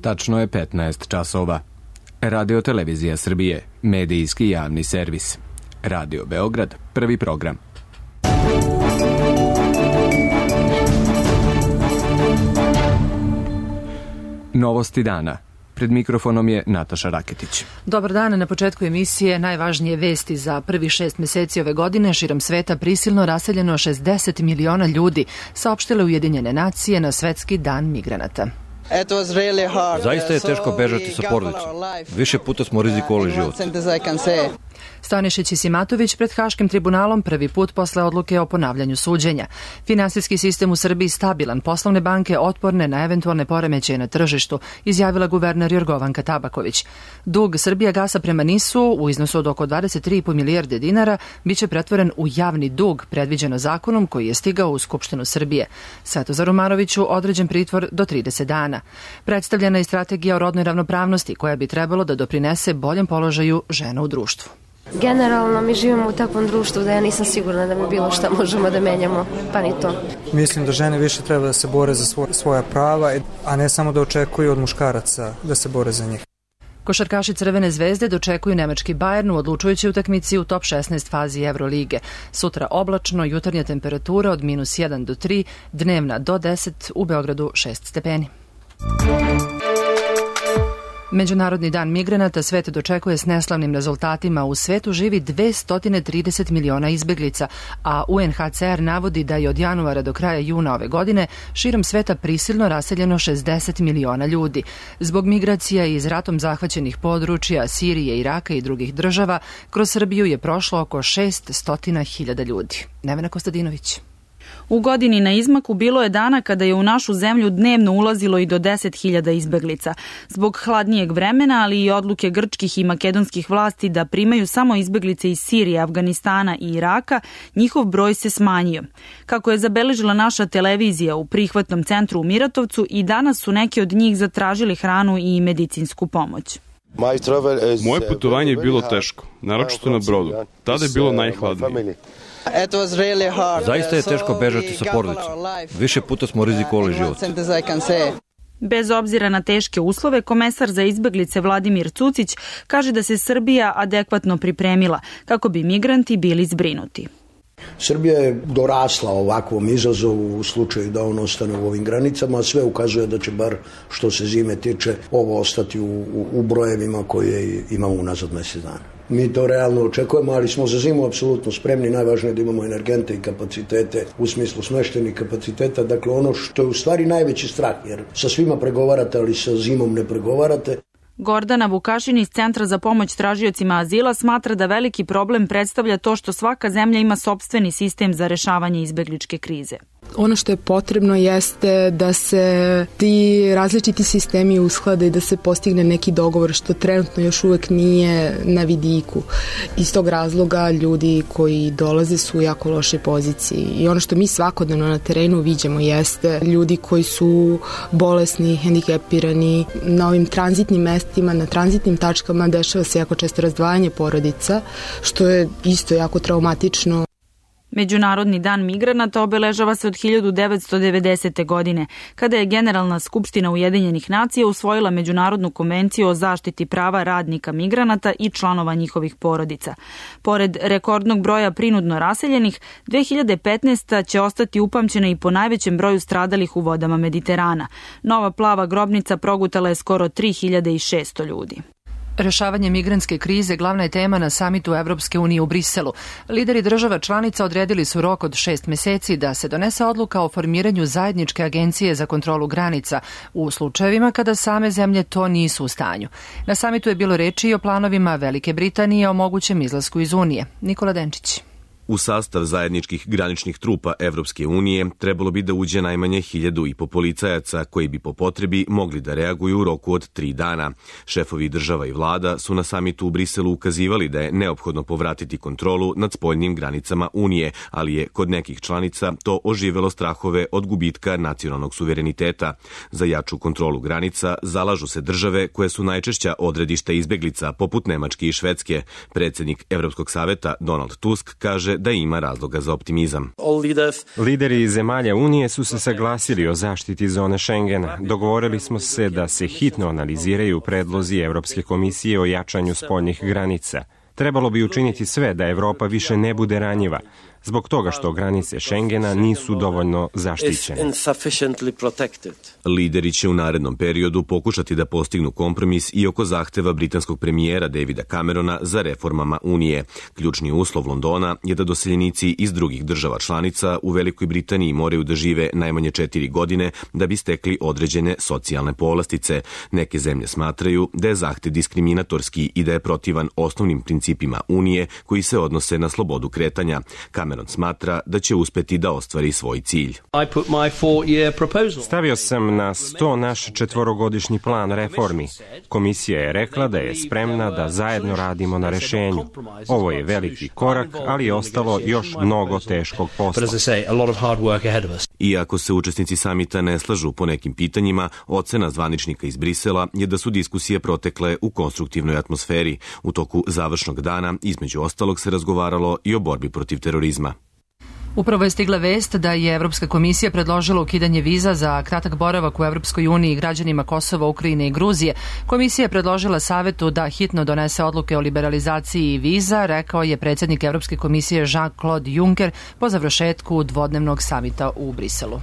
Tačno je 15 časova. Radio Televizija Srbije, medijski javni servis. Radio Beograd, prvi program. Novosti dana. Pred mikrofonom je Nataša Raketić. Dobar dan, na početku emisije najvažnije vesti za prvih 6 meseci ove godine. Širom sveta prisilno raseljeno 60 miliona ljudi, saopštile Ujedinjene nacije na Svetski dan migranata. Zaista je teško bežati sa porodicom. Više puta smo rizikovali život. Stanišić i Simatović pred Haškim tribunalom prvi put posle odluke o ponavljanju suđenja. Finansijski sistem u Srbiji stabilan, poslovne banke otporne na eventualne poremećaje na tržištu, izjavila guverner Jorgovanka Tabaković. Dug Srbijagasa prema NIS-u u iznosu od oko 23,5 milijarde dinara biće pretvoren u javni dug, predviđeno zakonom koji je stigao u Skupštinu Srbije. Svetozaru Maroviću određen pritvor do 30 dana. Predstavljena je strategija o rodnoj ravnopravnosti koja bi trebalo da doprinese boljem položaju žena u društvu. Generalno mi živimo u takvom društvu da ja nisam sigurna da mi bilo šta možemo da menjamo, pa ni to. Mislim da žene više treba da se bore za svoja prava, a ne samo da očekuju od muškaraca da se bore za njih. Košarkaši Crvene zvezde dočekuju nemački Bayern u odlučujućoj utakmici u top 16 fazi Evrolige. Sutra oblačno, jutarnja temperatura od -1 do 3, dnevna do 10, u Beogradu 6 stepeni. Međunarodni dan migranata svet dočekuje s neslavnim rezultatima. U svetu živi 230 miliona izbeglica, a UNHCR navodi da je od januara do kraja juna ove godine širom sveta prisilno raseljeno 60 miliona ljudi. Zbog migracija iz ratom zahvaćenih područja Sirije, Iraka i drugih država, kroz Srbiju je prošlo oko 600.000 ljudi. Nevena Kostadinović. U godini na izmaku bilo je dana kada je u našu zemlju dnevno ulazilo i do 10.000 izbeglica. Zbog hladnijeg vremena, ali i odluke grčkih i makedonskih vlasti da primaju samo izbeglice iz Sirije, Afganistana i Iraka, njihov broj se smanjio. Kako je zabeležila naša televizija u prihvatnom centru u Miratovcu, i danas su neki od njih zatražili hranu i medicinsku pomoć. Moje putovanje je bilo teško, naročito na brodu. Tada je bilo najhladnije. Zaista je teško bežati sa porodicom. Više puta smo rizikovali život. Bez obzira na teške uslove, komesar za izbeglice Vladimir Cucić kaže da se Srbija adekvatno pripremila kako bi migranti bili zbrinuti. Srbija je dorasla ovakvom izazovu u slučaju da on ostane u ovim granicama, a sve ukazuje da će bar što se zime tiče ovo ostati u brojevima koje imamo unazad mjesec dana. Mi to realno očekujemo, ali smo za zimu apsolutno spremni. Najvažnije je da imamo energente i kapacitete u smislu smeštenih kapaciteta. Dakle, ono što je u stvari najveći strah, jer sa svima pregovarate, ali sa zimom ne pregovarate. Gordana Vukašin iz Centra za pomoć tražiocima azila smatra da veliki problem predstavlja to što svaka zemlja ima sopstveni sistem za rešavanje izbegličke krize. Ono što je potrebno jeste da se ti različiti sistemi usklade i da se postigne neki dogovor, što trenutno još uvek nije na vidiku. Iz tog razloga ljudi koji dolaze su u jako lošoj poziciji i ono što mi svakodnevno na terenu viđamo jeste ljudi koji su bolesni, hendikepirani. Na ovim tranzitnim mestima, na tranzitnim tačkama dešava se jako često razdvajanje porodica, što je isto jako traumatično. Međunarodni dan migranata obeležava se od 1990. godine, kada je Generalna skupština Ujedinjenih nacija usvojila Međunarodnu konvenciju o zaštiti prava radnika migranata i članova njihovih porodica. Pored rekordnog broja prinudno raseljenih, 2015. će ostati upamćena i po najvećem broju stradalih u vodama Mediterana. Nova plava grobnica progutala je skoro 3600 ljudi. Rešavanje migrantske krize glavna je tema na samitu Evropske unije u Briselu. Lideri država članica odredili su rok od 6 meseci da se donese odluka o formiranju zajedničke agencije za kontrolu granica u slučajevima kada same zemlje to nisu u stanju. Na samitu je bilo reči i o planovima Velike Britanije o mogućem izlasku iz Unije. Nikola Denčić. U sastav zajedničkih graničnih trupa Evropske unije trebalo bi da uđe najmanje 1.500 policajaca koji bi po potrebi mogli da reaguju u roku od 3 dana. Šefovi država i vlada su na samitu u Briselu ukazivali da je neophodno povratiti kontrolu nad spoljnim granicama Unije, ali je kod nekih članica to oživelo strahove od gubitka nacionalnog suvereniteta. Za jaču kontrolu granica zalažu se države koje su najčešća odredišta izbeglica, poput Nemačke i Švedske. Predsjednik Evropskog saveta Donald Tusk kaže da ima razloga za optimizam. Lideri zemalja Unije su se saglasili o zaštiti zone Schengena. Dogovorili smo se da se hitno analiziraju predlozi Evropske komisije o jačanju spoljnih granica. Trebalo bi učiniti sve da Evropa više ne bude ranjiva, zbog toga što granice Schengena nisu dovoljno zaštićene. Lideri će u narednom periodu pokušati da postignu kompromis i oko zahteva britanskog premijera Davida Camerona za reformama Unije. Ključni uslov Londona je da doseljenici iz drugih država članica u Velikoj Britaniji moraju da žive najmanje 4 godine da bi stekli određene socijalne povlastice. Neke zemlje smatraju da je zahtev diskriminatorski i da je protivan osnovnim principima Unije koji se odnose na slobodu kretanja. Cameron smatra da će uspeti da ostvari svoj cilj. Stavio sam na sto naš 4-godišnji plan reformi. Komisija je rekla da je spremna da zajedno radimo na rešenju. Ovo je veliki korak, ali je ostalo još mnogo teškog posla. Iako se učesnici samita ne slažu po nekim pitanjima, ocena zvaničnika iz Brisela je da su diskusije protekle u konstruktivnoj atmosferi. U toku završnog dana, između ostalog, se razgovaralo i o borbi protiv terorizma. Upravo je stigla vest da je Evropska komisija predložila ukidanje viza za kratak boravak u Evropskoj uniji građanima Kosova, Ukrajine i Gruzije. Komisija je predložila Savetu da hitno donese odluke o liberalizaciji viza, rekao je predsjednik Evropske komisije Jean-Claude Juncker po završetku dvodnevnog samita u Briselu.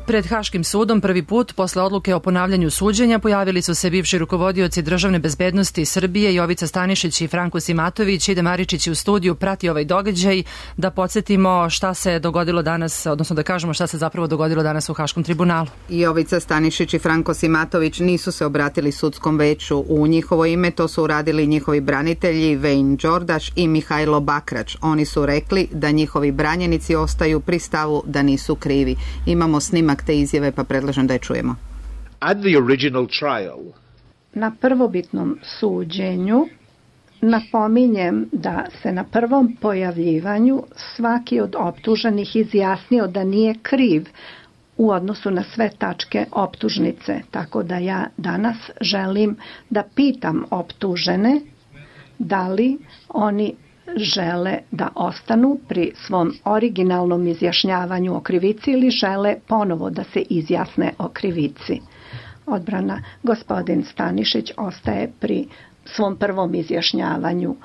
Pred Haškim sudom prvi put posle odluke o ponavljanju suđenja pojavili su se bivši rukovodioci državne bezbednosti Srbije Jovica Stanišić i Franko Simatović. Ide Maričić u studiju, prati ovaj događaj. Da podsjetimo šta se dogodilo danas, odnosno da kažemo šta se zapravo dogodilo danas u Haškom tribunalu. Jovica Stanišić i Franko Simatović nisu se obratili sudskom veću. U njihovo ime to su uradili njihovi branitelji Vejn Đordaš i Mihajlo Bakrač. Oni su rekli da njihovi branjenici ostaju pri stavu da nisu krivi. Imamo snimak te izjave, pa predlažem da je čujemo. Na prvobitnom suđenju napominjem da se na prvom pojavljivanju svaki od optuženih izjasnio da nije kriv u odnosu na sve tačke optužnice. Tako da ja danas želim da pitam optužene da li oni žele da ostanu pri svom originalnom izjašnjavanju o krivici ili žele ponovo da se izjasne o krivici. Odbrana, gospodin Stanišić ostaje pri svom prvom izjašnjavanju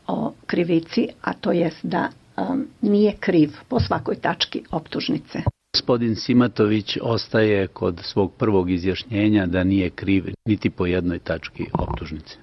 o krivici, a to jest da nije kriv po svakoj tački optužnice. Gospodin Simatović ostaje kod svog prvog izjašnjenja da nije kriv niti po jednoj tački optužnice.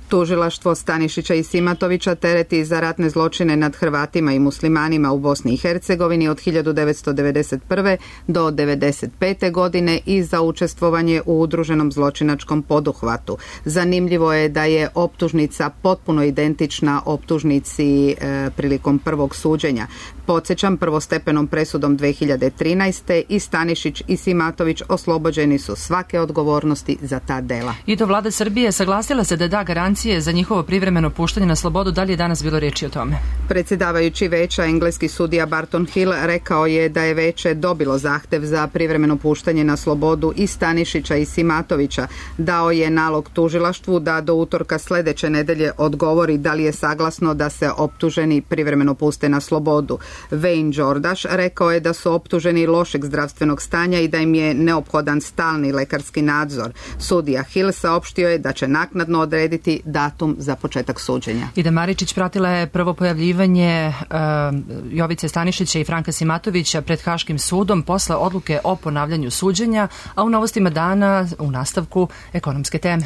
Tužilaštvo Stanišića i Simatovića tereti za ratne zločine nad Hrvatima i muslimanima u Bosni i Hercegovini od 1991. do 1995. godine i za učestvovanje u udruženom zločinačkom poduhvatu. Zanimljivo je da je optužnica potpuno identična optužnici prilikom prvog suđenja. Podsjećam, prvostepenom presudom 2013. i Stanišić i Simatović oslobođeni su svake odgovornosti za ta dela. I to vlada Srbije saglasila se da da garancije za njihovo privremeno puštanje na slobodu. Da li je danas bilo reči o tome? Predsjedavajući veća, engleski sudija Barton Hill, rekao je da je veće dobilo zahtev za privremeno puštanje na slobodu i Stanišića i Simatovića. Dao je nalog tužilaštvu da do utorka sljedeće nedelje odgovori da li je saglasno da se optuženi privremeno puste na slobodu. Vejn Đordaš rekao je da su optuženi lošeg zdravstvenog stanja i da im je neophodan stalni lekarski nadzor. Sudija Hill saopštio je da će naknadno odrediti datum za početak suđenja. Ida Maričić pratila je prvo pojavljivanje Jovice Stanišića i Franka Simatovića pred Haškim sudom posle odluke o ponavljanju suđenja, a u novostima dana u nastavku ekonomske teme.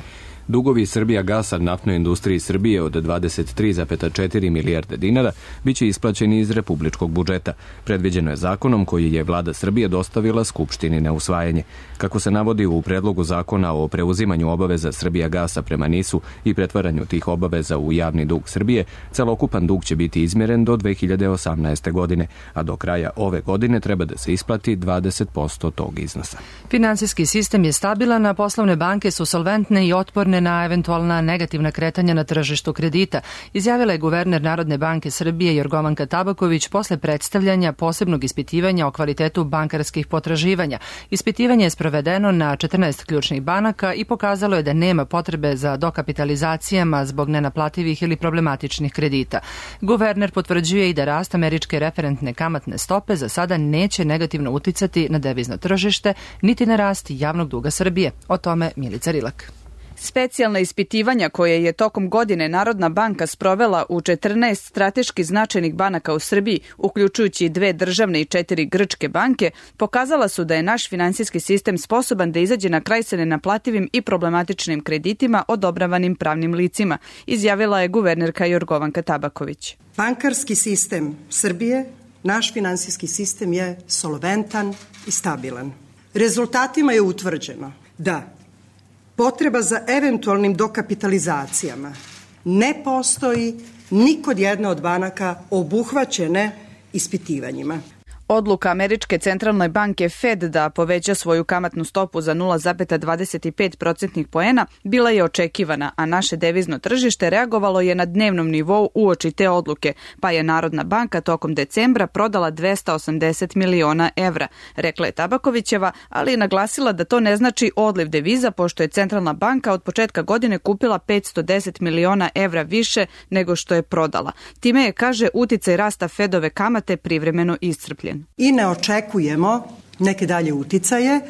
Dugovi Srbijagasa naftnoj industriji Srbije od 23,4 milijarde dinara biće isplaćeni iz republičkog budžeta. Predviđeno je zakonom koji je vlada Srbije dostavila Skupštini na usvajanje. Kako se navodi u predlogu zakona o preuzimanju obaveza Srbijagasa prema NIS-u i pretvaranju tih obaveza u javni dug Srbije, celokupan dug će biti izmjeren do 2018. godine, a do kraja ove godine treba da se isplati 20% tog iznosa. Finansijski sistem je stabilan, a poslovne banke su solventne i otporne otporne na eventualna negativna kretanja na tržištu kredita, izjavila je guverner Narodne banke Srbije Jorgovanka Tabaković posle predstavljanja posebnog ispitivanja o kvalitetu bankarskih potraživanja. Ispitivanje je sprovedeno na 14 ključnih banaka i pokazalo je da nema potrebe za dokapitalizacijama zbog nenaplativih ili problematičnih kredita. Guverner potvrđuje i da rast američke referentne kamatne stope za sada neće negativno uticati na devizno tržište, niti na rast javnog duga Srbije. O tome Milica Rilak. Specijalna ispitivanja koje je tokom godine Narodna banka sprovela u 14 strateški značajnih banaka u Srbiji, uključujući 2 državne i 4 grčke banke, pokazala su da je naš finansijski sistem sposoban da izađe na kraj sa nenaplativim i problematičnim kreditima odobravanim pravnim licima, izjavila je guvernerka Jorgovanka Tabaković. Bankarski sistem Srbije, naš finansijski sistem je solventan i stabilan. Rezultatima je utvrđeno da potreba za eventualnim dokapitalizacijama ne postoji ni kod jedne od banaka obuhvaćene ispitivanjima. Odluka Američke centralne banke Fed da poveća svoju kamatnu stopu za 0,25% poena bila je očekivana, a naše devizno tržište reagovalo je na dnevnom nivou uoči te odluke, pa je Narodna banka tokom decembra prodala 280 miliona evra, rekla je Tabakovićeva, ali je naglasila da to ne znači odliv deviza, pošto je centralna banka od početka godine kupila 510 miliona evra više nego što je prodala. Time je, kaže, uticaj rasta Fedove kamate privremeno iscrpljen. I ne očekujemo neke dalje uticaje,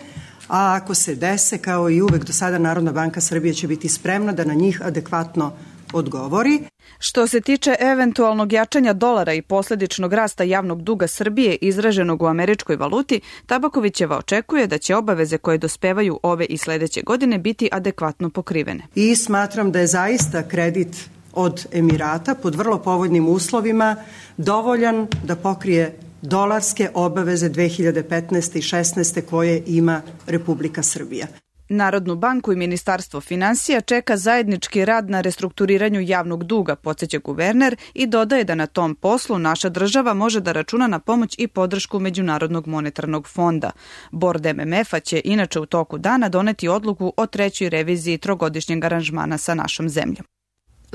a ako se dese, kao i uvek do sada, Narodna banka Srbije će biti spremna da na njih adekvatno odgovori. Što se tiče eventualnog jačanja dolara i posledičnog rasta javnog duga Srbije izraženog u američkoj valuti, Tabakovićeva očekuje da će obaveze koje dospevaju ove i sledeće godine biti adekvatno pokrivene. I smatram da je zaista kredit od Emirata pod vrlo povoljnim uslovima dovoljan da pokrije dolarske obaveze 2015. i 16. koje ima Republika Srbija. Narodnu banku i Ministarstvo finansija čeka zajednički rad na restrukturiranju javnog duga, podsjeća guverner, i dodaje da na tom poslu naša država može da računa na pomoć i podršku Međunarodnog monetarnog fonda. Bord MMF-a će inače u toku dana doneti odluku o 3. reviziji trogodišnjeg aranžmana sa našom zemljom.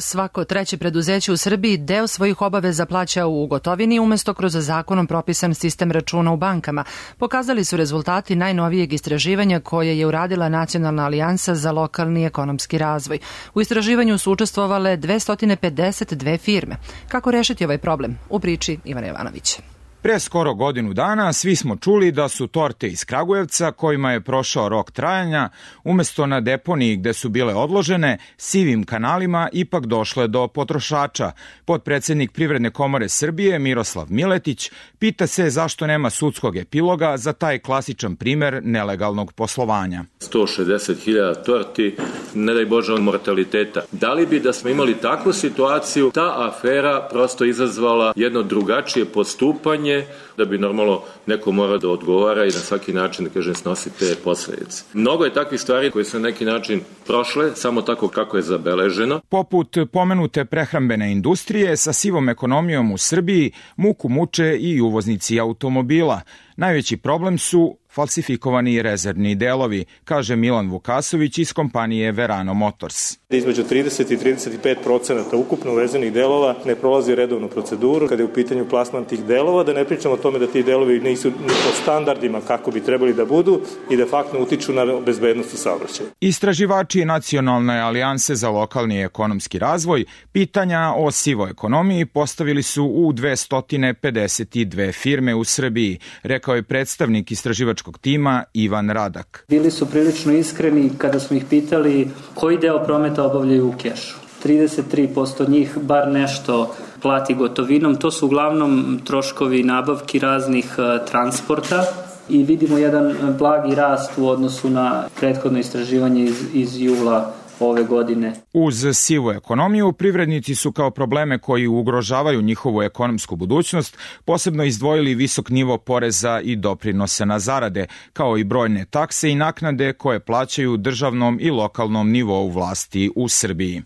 Svako treće preduzeće u Srbiji deo svojih obaveza plaća u gotovini umesto kroz zakonom propisan sistem računa u bankama. Pokazali su rezultati najnovijeg istraživanja koje je uradila Nacionalna alijansa za lokalni ekonomski razvoj. U istraživanju su učestvovale 252 firme. Kako rešiti ovaj problem? U priči Ivana Jovanovića. Pre skoro godinu dana svi smo čuli da su torte iz Kragujevca, kojima je prošao rok trajanja, umesto na deponiji gde su bile odložene, sivim kanalima ipak došle do potrošača. Potpredsednik Privredne komore Srbije Miroslav Miletić pita se zašto nema sudskog epiloga za taj klasičan primer nelegalnog poslovanja. 160.000 torti, ne daj Bože od mortaliteta. Da li bi da smo imali takvu situaciju, ta afera prosto izazvala jedno drugačije postupanje, da bi normalno neko mora da odgovara i na svaki način, da kažem, snosi te posledice. Mnogo je takvih stvari koje su na neki način prošle, samo tako kako je zabeleženo. Poput pomenute prehrambene industrije, sa sivom ekonomijom u Srbiji muku muče i uvoznici automobila. Najveći problem su falsifikovani rezervni delovi, kaže Milan Vukasović iz kompanije Verano Motors. Između 30 i 35% ukupno uvezenih delova ne prolazi redovnu proceduru kada je u pitanju plasman tih delova, da ne pričamo o tome da ti delovi nisu po standardima kako bi trebali da budu i de facto utiču na bezbednost u saobraćaju. Istraživači Nacionalne alijanse za lokalni ekonomski razvoj pitanja o sivoj ekonomiji postavili su u 252 firme u Srbiji, rekao je predstavnik istraživačkog tima Ivan Radak. Bili su prilično iskreni kada smo ih pitali koji deo prometa obavljaju u kešu. 33% njih bar nešto plati gotovinom. To su uglavnom troškovi nabavki raznih transporta i vidimo jedan blagi rast u odnosu na prethodno istraživanje iz jula ove godine. Uz sivu ekonomiju, privrednici su kao probleme koji ugrožavaju njihovu ekonomsku budućnost posebno izdvojili visok nivo poreza i doprinose na zarade, kao i brojne takse i naknade koje plaćaju državnom i lokalnom nivou vlasti u Srbiji.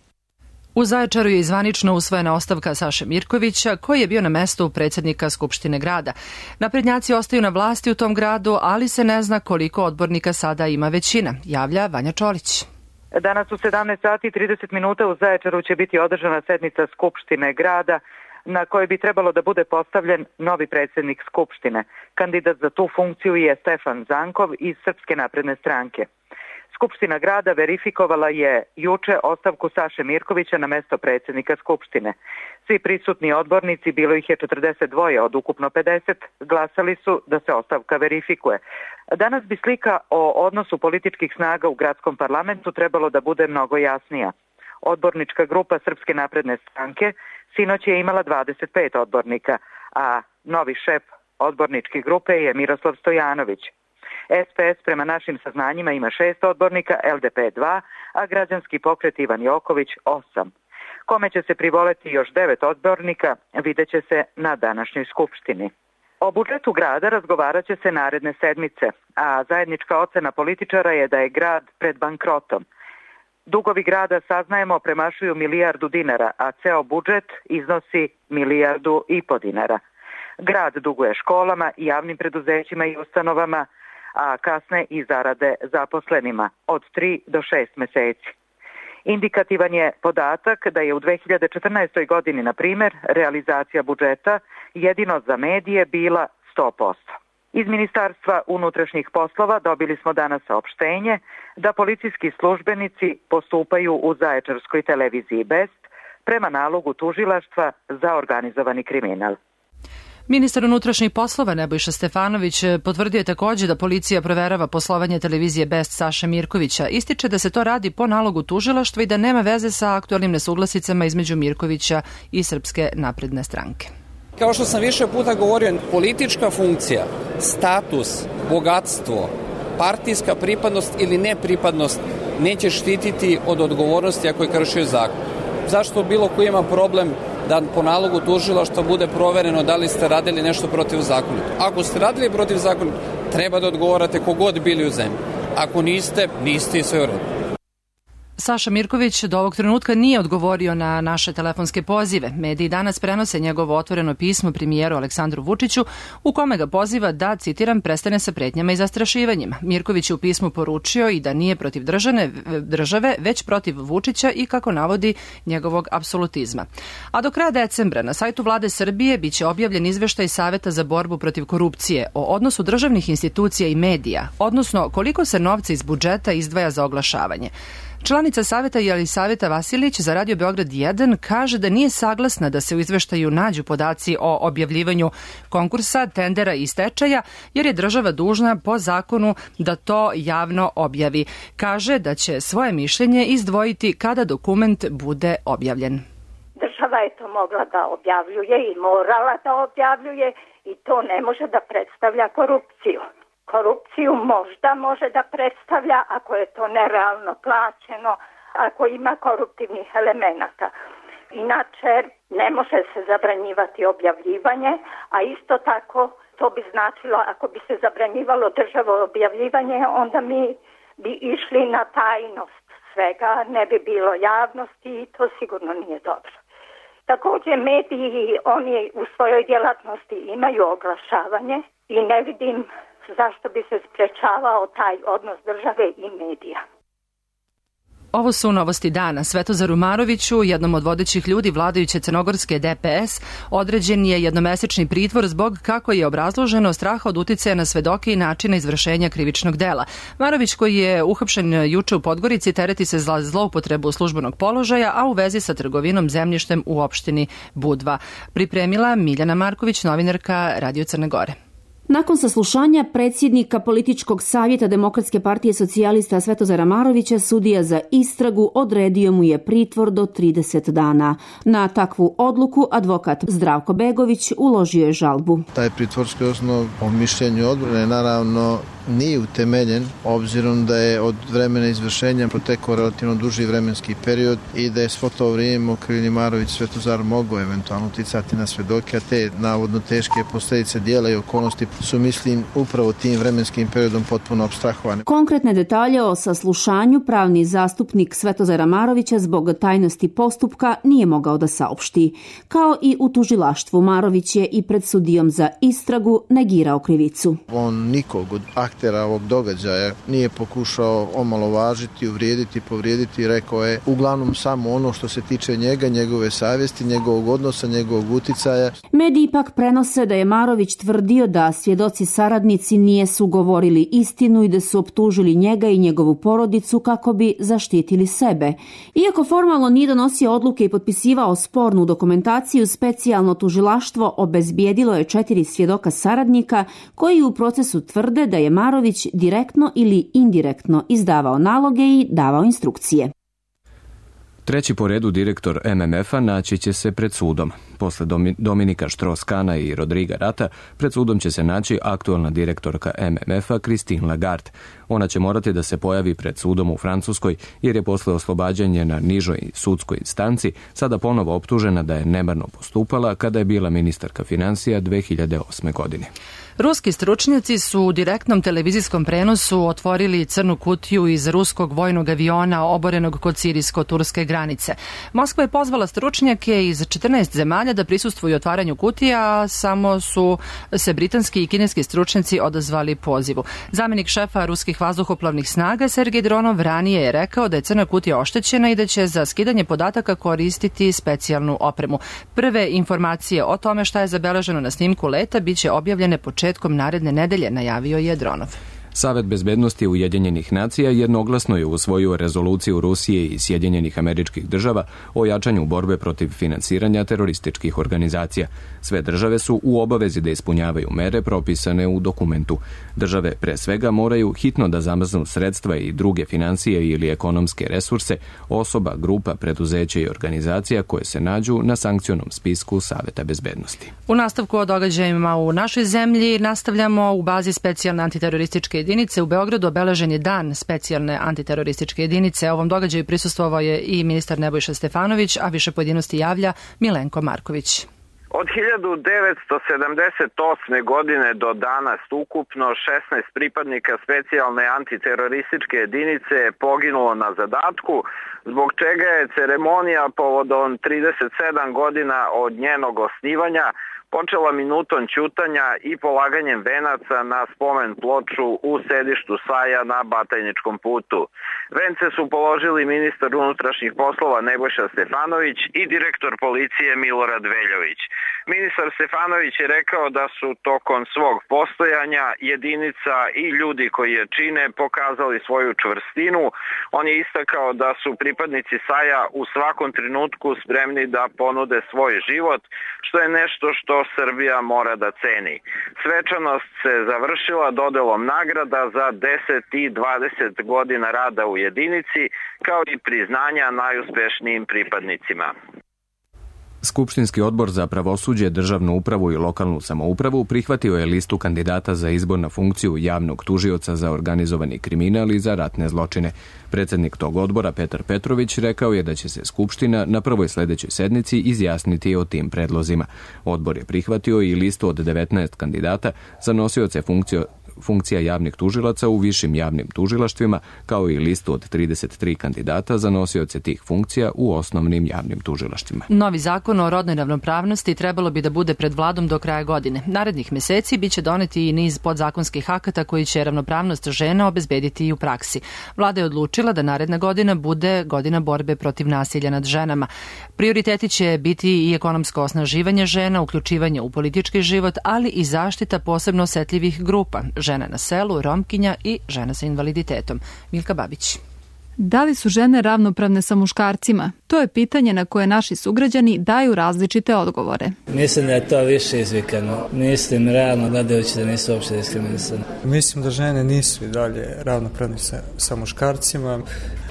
U Zaječaru je zvanično usvojena ostavka Saše Mirkovića, koji je bio na mestu predsjednika Skupštine grada. Naprednjaci ostaju na vlasti u tom gradu, ali se ne zna koliko odbornika sada ima većina, javlja Vanja Čolić. Danas u 17 sati i 30 minuta u Zaječaru će biti održana sednica Skupštine grada na kojoj bi trebalo da bude postavljen novi predsjednik Skupštine. Kandidat za tu funkciju je Stefan Zankov iz Srpske napredne stranke. Skupština grada verifikovala je juče ostavku Saše Mirkovića na mesto predsjednika Skupštine. Svi prisutni odbornici, bilo ih je 42 od ukupno 50, glasali su da se ostavka verifikuje. Danas bi slika o odnosu političkih snaga u gradskom parlamentu trebalo da bude mnogo jasnija. Odbornička grupa Srpske napredne stranke sinoć je imala 25 odbornika, a novi šef odborničke grupe je Miroslav Stojanović. SPS prema našim saznanjima ima 6 odbornika, LDP 2, a građanski pokret Ivan Joković 8. Kome će se privoleti još 9 odbornika, vidjet će se na današnjoj skupštini. O budžetu grada razgovarat će se naredne sedmice, a zajednička ocena političara je da je grad pred bankrotom. Dugovi grada, saznajemo, premašuju milijardu dinara, a ceo budžet iznosi 1,5 milijardu dinara. Grad duguje školama, javnim preduzećima i ustanovama, a kasne i zarade zaposlenima od 3 do 6 meseci. Indikativan je podatak da je u 2014. godini, na primjer, realizacija budžeta jedino za medije bila 100%. Iz Ministarstva unutrašnjih poslova dobili smo danas saopštenje da policijski službenici postupaju u Zaječarskoj televiziji Best prema nalogu tužilaštva za organizovani kriminal. Ministar unutrašnjih poslova Nebojša Stefanović potvrdio je također da policija proverava poslovanje televizije Best Saše Mirkovića. Ističe da se to radi po nalogu tužilaštva i da nema veze sa aktualnim nesuglasicama između Mirkovića i Srpske napredne stranke. Kao što sam više puta govorio, politička funkcija, status, bogatstvo, partijska pripadnost ili nepripadnost neće štititi od odgovornosti ako je kršio zakon. Zašto bilo ko ima problem da po nalogu tužilaštva bude provereno da li ste radili nešto protivzakonito? Ako ste radili protivzakonito, treba da odgovarate kogod bili u zemlji. Ako niste, niste i sve u redu. Saša Mirković do ovog trenutka nije odgovorio na naše telefonske pozive. Mediji danas prenose njegovo otvoreno pismo premijeru Aleksandru Vučiću u kome ga poziva da, citiram, prestane sa pretnjama i zastrašivanjima. Mirković je u pismu poručio i da nije protiv države, već protiv Vučića i, kako navodi, njegovog apsolutizma. A do kraja decembra na sajtu Vlade Srbije biće objavljen izveštaj Saveta za borbu protiv korupcije o odnosu državnih institucija i medija, odnosno koliko se novca iz budžeta izdvaja za oglašavanje. Članica Saveta Jelisaveta Vasilić za Radio Beograd 1 kaže da nije saglasna da se u izveštaju nađu podaci o objavljivanju konkursa, tendera i stečaja, jer je država dužna po zakonu da to javno objavi. Kaže da će svoje mišljenje izdvojiti kada dokument bude objavljen. Država je to mogla da objavljuje i morala da objavljuje i to ne može da predstavlja korupciju. Korupciju možda može da predstavlja ako je to nerealno plaćeno, ako ima koruptivnih elemenata. Inače, ne može se zabranjivati objavljivanje, a isto tako to bi značilo, ako bi se zabranjivalo državo objavljivanje, onda mi bi išli na tajnost svega, ne bi bilo javnosti i to sigurno nije dobro. Također mediji, oni u svojoj djelatnosti imaju oglašavanje i ne vidim zašto bi se sprečavao taj odnos države i medija. Ovo su novosti dana. Svetozaru Maroviću, jednom od vodećih ljudi vladajuće crnogorske DPS, određen je jednomesečni pritvor zbog, kako je obrazloženo, straha od uticaja na svedoke i načina izvršenja krivičnog dela. Marović, koji je uhapšen juče u Podgorici, tereti se za zloupotrebu službenog položaja, a u vezi sa trgovinom zemljištem u opštini Budva. Pripremila Miljana Marković, novinarka Radio Crne Gore. Nakon saslušanja predsjednika političkog savjeta Demokratske partije socijalista Svetozara Marovića, sudija za istragu odredio mu je pritvor do 30 dana. Na takvu odluku advokat Zdravko Begović uložio je žalbu. Taj pritvorski osnov po mišljenju odbrane naravno nije utemeljen, obzirom da je od vremena izvršenja protekao relativno duži vremenski period i da je svo to vrijeme okrivljeni Marović Svetozar mogao eventualno uticati na svedoke, a te navodno teške posljedice dijela i okolnosti su, mislim, upravo tim vremenskim periodom potpuno apstrahovane. Konkretne detalje o saslušanju pravni zastupnik Svetozara Marovića zbog tajnosti postupka nije mogao da saopšti. Kao i u tužilaštvu, Marović je i pred sudijom za istragu negirao krivicu. On nikog od aktera ovog događaja. Nije pokušao omalovažiti, uvrijediti, povrijediti, rekao je uglavnom samo ono što se tiče njega, njegove savjesti, njegovog odnosa, njegovog uticaja. Mediji ipak prenose da je Marović tvrdio da svjedoci saradnici nijesu govorili istinu i da su optužili njega i njegovu porodicu kako bi zaštitili sebe. Iako formalno nije donosio odluke i potpisivao spornu dokumentaciju, specijalno tužilaštvo obezbijedilo je 4 svjedoka saradnika koji u procesu tvrde da je Marović direktno ili indirektno izdavao naloge i davao instrukcije. Treći po redu direktor MMF-a naći će se pred sudom. Posle Dominika Strauss-Kahna i Rodriga Rata, pred sudom će se naći aktualna direktorka MMF-a Christine Lagarde. Ona će morati da se pojavi pred sudom u Francuskoj jer je posle oslobađanja na nižoj sudskoj instanci sada ponovo optužena da je nemarno postupala kada je bila ministarka financija 2008. godine. Ruski stručnjaci su u direktnom televizijskom prenosu otvorili crnu kutiju iz ruskog vojnog aviona oborenog kod sirijsko-turske granice. Moskva je pozvala stručnjake iz 14 zemalja da prisustvuju otvaranju kutija, a samo su se britanski i kineski stručnjaci odazvali pozivu. Zamenik šefa ruskih vazduhoplovnih snaga Sergej Dronov ranije je rekao da je crna kutija oštećena i da će za skidanje podataka koristiti specijalnu opremu. Prve informacije o tome šta je zabeleženo na snimku leta biće objavljene početkom naredne nedelje, najavio je Dronov. Savet bezbednosti Ujedinjenih nacija jednoglasno je usvojio rezoluciju Rusije i Sjedinjenih Američkih Država o jačanju borbe protiv finansiranja terorističkih organizacija. Sve države su u obavezi da ispunjavaju mere propisane u dokumentu. Države pre svega moraju hitno da zamrznu sredstva i druge financije ili ekonomske resurse osoba, grupa, preduzeća i organizacija koje se nađu na sankcionom spisku Saveta bezbednosti. U nastavku o događajima u našoj zemlji nastavljamo. U bazi specijalne antiterorističke jedinice u Beogradu obeležen je dan specijalne antiterorističke jedinice. Ovom događaju prisustvovao je i ministar Nebojša Stefanović, a više pojedinosti javlja Milenko Marković. Od 1978. godine do danas ukupno 16 pripadnika specijalne antiterorističke jedinice je poginulo na zadatku, zbog čega je ceremonija povodom 37 godina od njenog osnivanja počela minutom ćutanja i polaganjem venaca na spomen ploču u sedištu SAJ-a na Batajničkom putu. Vence su položili ministar unutrašnjih poslova Nebojša Stefanović i direktor policije Milorad Veljović. Ministar Stefanović je rekao da su tokom svog postojanja jedinica i ljudi koji je čine pokazali svoju čvrstinu. On je istakao da su pripadnici SAJ-a u svakom trenutku spremni da ponude svoj život, što je nešto što Srbija mora da ceni. Svečanost se završila dodelom nagrada za 10 i 20 godina rada u jedinici, kao i priznanja najuspešnijim pripadnicima. Skupštinski odbor za pravosuđe, državnu upravu i lokalnu samoupravu prihvatio je listu kandidata za izbor na funkciju javnog tužioca za organizovani kriminal i za ratne zločine. Predsjednik tog odbora, Petar Petrović, rekao je da će se Skupština na prvoj sledećoj sednici izjasniti o tim predlozima. Odbor je prihvatio i listu od 19 kandidata za nosioce funkcija javnih tužilaca u višim javnim tužilaštvima, kao i listu od 33 kandidata za nosioce tih funkcija u osnovnim javnim tužilaštvima. Novi zakon o rodnoj ravnopravnosti trebalo bi da bude pred vladom do kraja godine. Narednih meseci biće doneti i niz podzakonskih akata koji će ravnopravnost žena obezbediti i u praksi. Vlada je odlučila da naredna godina bude godina borbe protiv nasilja nad ženama. Prioriteti će biti i ekonomsko osnaživanje žena, uključivanje u politički život, ali i zaštita posebno osetljivih grupa, žena na selu, romkinja i žena sa invaliditetom. Milka Babić. Da li su žene ravnopravne sa muškarcima? To je pitanje na koje naši sugrađani daju različite odgovore. Mislim da je to više izvikano. Mislim realno gledajući da nisu uopšte diskriminisane. Mislim da žene nisu i dalje ravnopravne sa muškarcima,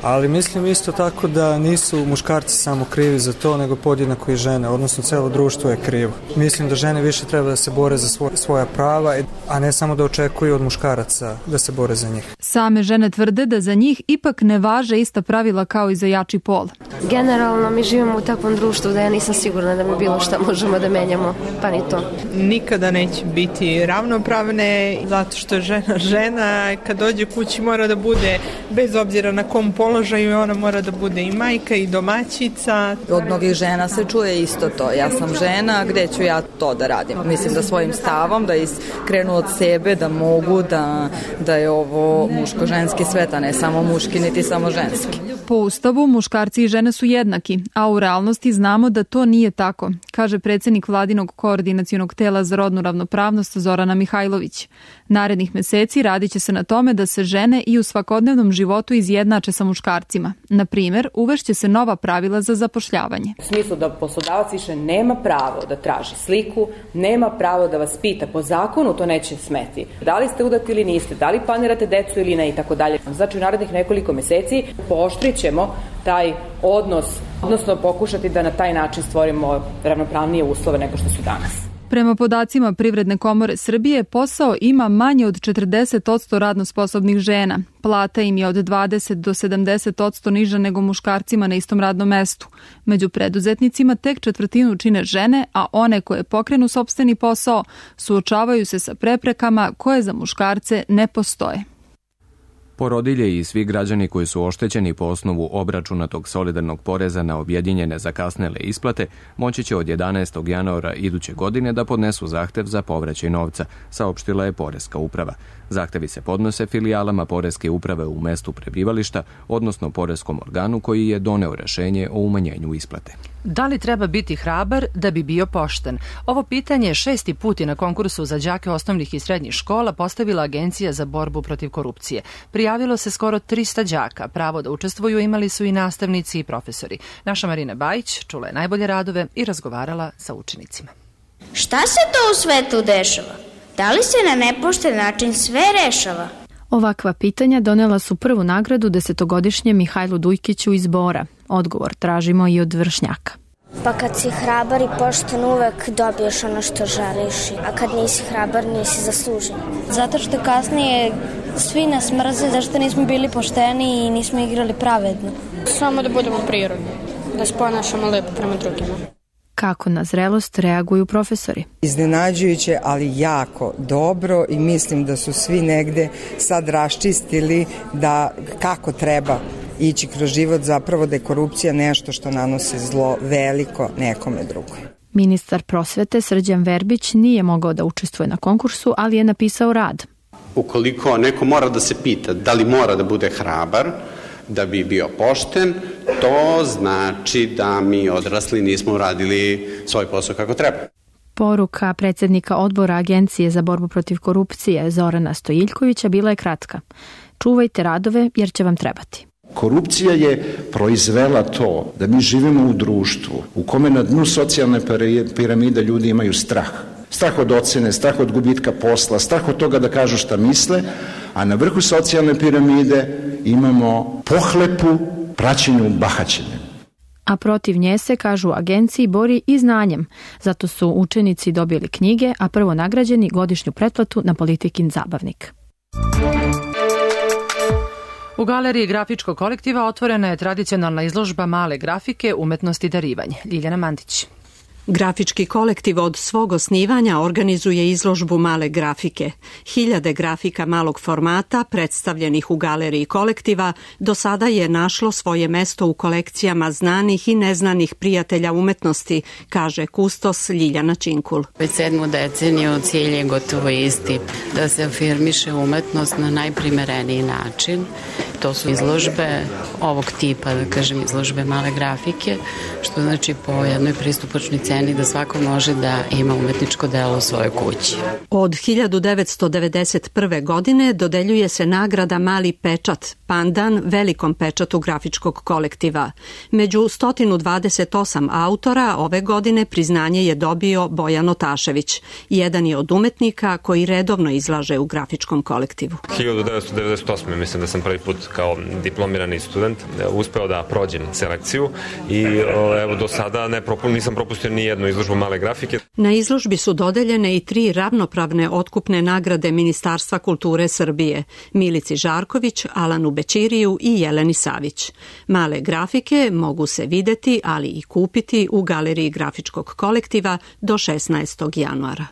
ali mislim isto tako da nisu muškarci samo krivi za to, nego podjednako i žene, odnosno celo društvo je krivo. Mislim da žene više treba da se bore za svoja prava, a ne samo da očekuju od muškaraca da se bore za njih. Same žene tvrde da za njih ipak ne važe ista pravila kao i za jači pol. Generalno mi živimo u takvom društvu da ja nisam sigurna da mi bilo šta možemo da menjamo, pa ni to. Nikada neće biti ravnopravne, zato što je žena žena, kad dođe kući mora da bude, bez obzira na kom položaju, ona mora da bude i majka i domaćica. Od mnogih žena se čuje isto to, ja sam žena, gde ću ja to da radim? Mislim da svojim stavom, da krenu od sebe, da mogu, da je ovo muško-ženski svet, a ne samo muški, niti samo ženski. Po Ustavu, muškarci i žene su jednaki, a u realnosti znamo da to nije tako, kaže predsjednik Vladinog koordinacionog tela za rodnu ravnopravnost Zorana Mihajlović. Narednih meseci radit će se na tome da se žene i u svakodnevnom životu izjednače sa muškarcima. Na primjer, uvešće se nova pravila za zapošljavanje. U smislu da poslodavac više nema pravo da traži sliku, nema pravo da vas pita, po zakonu to neće smeti. Da li ste udati ili niste, da li planirate decu ili ne i tako dalje. Znači u narednih nekoliko meseci pooštrit ćemo taj odnos, odnosno pokušati da na taj način stvorimo ravnopravnije uslove nego što su danas. Prema podacima Privredne komore Srbije, posao ima manje od 40% radno sposobnih žena. Plata im je od 20 do 70% niža nego muškarcima na istom radnom mestu. Među preduzetnicima tek četvrtinu čine žene, a one koje pokrenu sopstveni posao suočavaju se sa preprekama koje za muškarce ne postoje. Porodilje i svi građani koji su oštećeni po osnovu obračunatog solidarnog poreza na objedinjene zakasnele isplate moći će od 11. januara iduće godine da podnesu zahtev za povraćaj novca, saopštila je Poreska uprava. Zahtevi se podnose filijalama Poreske uprave u mestu prebivališta, odnosno poreskom organu koji je doneo rešenje o umanjenju isplate. Da li treba biti hrabar da bi bio pošten? Ovo pitanje 6. put je na konkursu za đake osnovnih i srednjih škola postavila Agencija za borbu protiv korupcije. Prijavilo se skoro 300 đaka. Pravo da učestvuju imali su i nastavnici i profesori. Naša Marina Bajić čula je najbolje radove i razgovarala sa učenicima. Šta se to u svetu dešava? Da li se na nepošten način sve rešava? Ovakva pitanja donela su prvu nagradu 10-godišnjem Mihajlu Dujkiću iz Bora. Odgovor tražimo i od vršnjaka. Pa kad si hrabar i pošten uvek dobiješ ono što želiš, a kad nisi hrabar nisi zaslužen. Zato što kasnije svi nas mrze zašto nismo bili pošteni i nismo igrali pravedno. Samo da budemo prirodni, da se ponašamo lepo prema drugima. Kako na zrelost reaguju profesori? Iznenađujuće, ali jako dobro i mislim da su svi negde sad raščistili da kako treba ići kroz život, zapravo da je korupcija nešto što nanosi zlo veliko nekome drugoj. Ministar prosvete Srđan Verbić nije mogao da učestvuje na konkursu, ali je napisao rad. Ukoliko neko mora da se pita da li mora da bude hrabar, da bi bio pošten, to znači da mi odrasli nismo uradili svoj posao kako treba. Poruka predsjednika odbora Agencije za borbu protiv korupcije Zorana Stojiljkovića bila je kratka. Čuvajte radove jer će vam trebati. Korupcija je proizvela to da mi živimo u društvu u kome na dnu socijalne piramide ljudi imaju strah. Strah od ocene, strah od gubitka posla, strah od toga da kažu šta misle, a na vrhu socijalne piramide imamo pohlepu praćenju bahaćenjem. A protiv nje se, kažu u agenciji, bori i znanjem. Zato su učenici dobili knjige, a prvo nagrađeni godišnju pretplatu na Politikin zabavnik. U galeriji grafičkog kolektiva otvorena je tradicionalna izložba male grafike, umetnost i darivanje. Ljiljana Mandić. Grafički kolektiv od svog osnivanja organizuje izložbu male grafike. Hiljade grafika malog formata predstavljenih u galeriji kolektiva do sada je našlo svoje mesto u kolekcijama znanih i neznanih prijatelja umetnosti, kaže kustos Ljiljana Činkul. Već 7. deceniju cilj je gotovo isti, da se afirmiše umetnost na najprimereniji način. To su izložbe ovog tipa, da kažem izložbe male grafike, što znači po jednoj pristupačnoj ceni da svako može da ima umetničko delo u svojoj kući. Od 1991. godine dodeljuje se nagrada Mali pečat, pandan velikom pečatu grafičkog kolektiva. Među 128 autora ove godine priznanje je dobio Bojan Otašević. Jedan je od umetnika koji redovno izlaže u grafičkom kolektivu. 1998. mislim da sam prvi put kao diplomirani student uspeo da prođem selekciju i evo do sada nisam propustio ni jednu izložbu male grafike. Na izložbi su dodeljene i 3 ravnopravne otkupne nagrade Ministarstva kulture Srbije, Milici Žarković, Alanu Bećiriju i Jeleni Savić. Male grafike mogu se videti, ali i kupiti u Galeriji grafičkog kolektiva do 16. januara.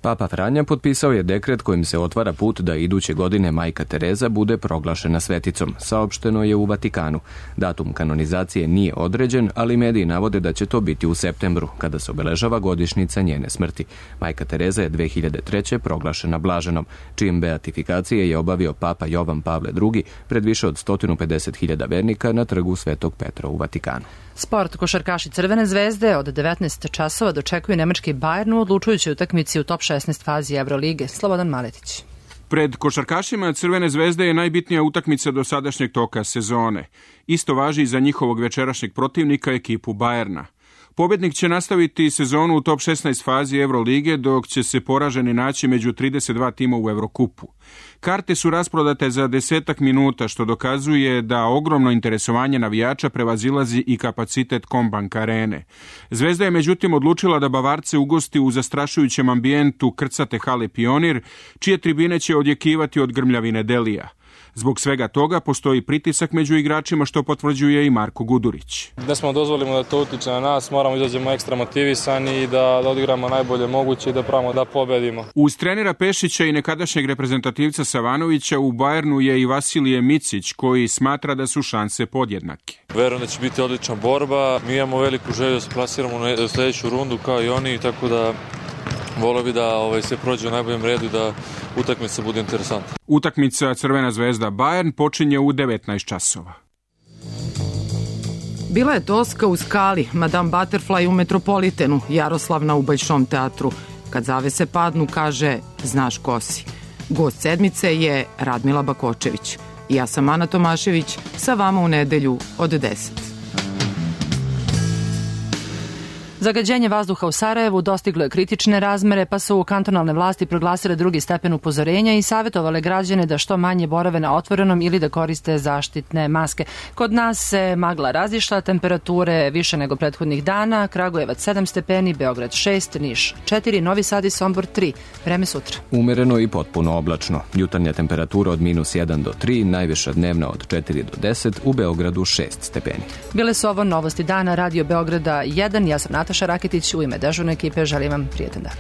Papa Franja potpisao je dekret kojim se otvara put da iduće godine Majka Tereza bude proglašena sveticom, saopšteno je u Vatikanu. Datum kanonizacije nije određen, ali mediji navode da će to biti u septembru, kada se obeležava godišnjica njene smrti. Majka Tereza je 2003. proglašena blaženom, čijim beatifikacije je obavio Papa Jovan Pavle II pred više od 150.000 vernika na trgu Svetog Petra u Vatikanu. Sport. Košarkaši Crvene zvezde od 19 časova dočekuju nemački Bayern u odlučujućoj utakmici u top 16 fazi Evrolige. Slobodan Maletić. Pred košarkašima Crvene zvezde je najbitnija utakmica do sadašnjeg toka sezone. Isto važi i za njihovog večerašnjeg protivnika, ekipu Bayerna. Pobjednik će nastaviti sezonu u top 16 fazi Evrolige, dok će se poraženi naći među 32 tima u Evrokupu. Karte su rasprodate za 10 minuta, što dokazuje da ogromno interesovanje navijača prevazilazi i kapacitet Combank arene. Zvezda je međutim odlučila da Bavarce ugosti u zastrašujućem ambijentu krcate hale Pionir, čije tribine će odjekivati od grmljavine Delija. Zbog svega toga postoji pritisak među igračima, što potvrđuje i Marko Gudurić. Ne smo dozvolimo da to utiče na nas, moramo izađemo ekstra motivisani i da odigramo najbolje moguće i da pravimo da pobedimo. Uz trenera Pešića i nekadašnjeg reprezentativca Savanovića u Bayernu je i Vasilije Micić, koji smatra da su šanse podjednake. Verujem da će biti odlična borba. Mi imamo veliku želju da se plasiramo u sljedeću rundu kao i oni, tako da volio bi da se prođe u najboljem redu i da utakmica bude interesantna. Utakmica Crvena zvezda Bayern počinje u 19 časova. Bila je Toska u Skali, Madame Butterfly u Metropolitenu, Jaroslavna u Bajšom teatru. Kad zavese padnu, kaže, znaš ko si. Gost sedmice je Radmila Bakočević. Ja sam Ana Tomašević, sa vama u nedelju od 10. Zagađenje vazduha u Sarajevu dostiglo je kritične razmere, pa su kantonalne vlasti proglasile 2. stepen upozorenja i savjetovale građane da što manje borave na otvorenom ili da koriste zaštitne maske. Kod nas se magla razišla, temperature više nego prethodnih dana, Kragujevac 7 stepeni, Beograd 6, Niš 4, Novi Sad i Sombor 3. Vreme sutra. Umereno i potpuno oblačno. Jutarnja temperatura od -1 do 3, najviša dnevna od 4 do 10, u Beogradu 6 stepeni. Bile su ovo novosti dana Radio Beograda 1, ja sam Nataša Raketić, u ime dežurne ekipe želim vam prijetan dan.